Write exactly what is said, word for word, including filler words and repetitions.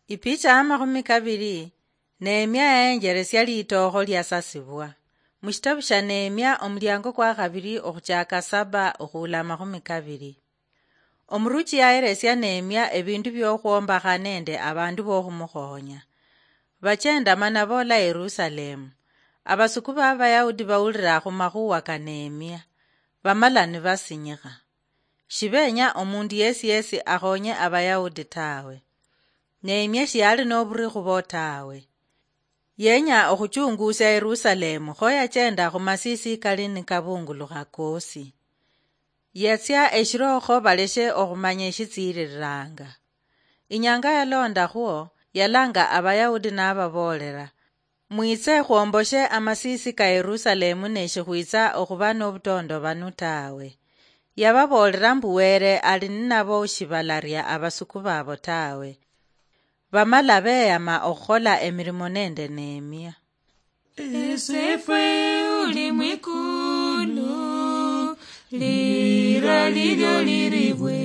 Ipicha ya makhumi kabili. Nehemia yayenjeresia litookho liasasibwa. Mushitabu shia Nehemia, omuliango kwa khabili okhuchaka saba okhuula amakhumi kabili. Omuruchi yaheresia Nehemia ebindu biokhwombakha nende abandu bokhumukhonya. Bachenda mana boola Yerusalemu. Abasuku ba Bayahudi bawulira khumakhuwa ka Nehemia, bamala nibasinyikha. Shibenya omundu yesi yesi akhonye Abayahudi tawe. Nehemia shiyali noburi khubo tawe. Yenya okhuchungusia Yerusalemu, kho yachenda khumasisi kali nikabungulukha kosi. Yatsia eshirokho baleshe okhumanya eshitsiriranga. Inyanga yalondakhwo, yalanga Abayahudi nababoolera, "Mwitse khwomboshe amasisi ka Yerusalemu, neshikhwitsa okhuba nobutondobanu tawe." Yababoolera mbu Were ali ninabo, shibalaria abasuku babo tawe. Bamala beyama okhukhola emirimo nende Nehemia. Esefwe uli mwikulu, lira lilyo liribwe.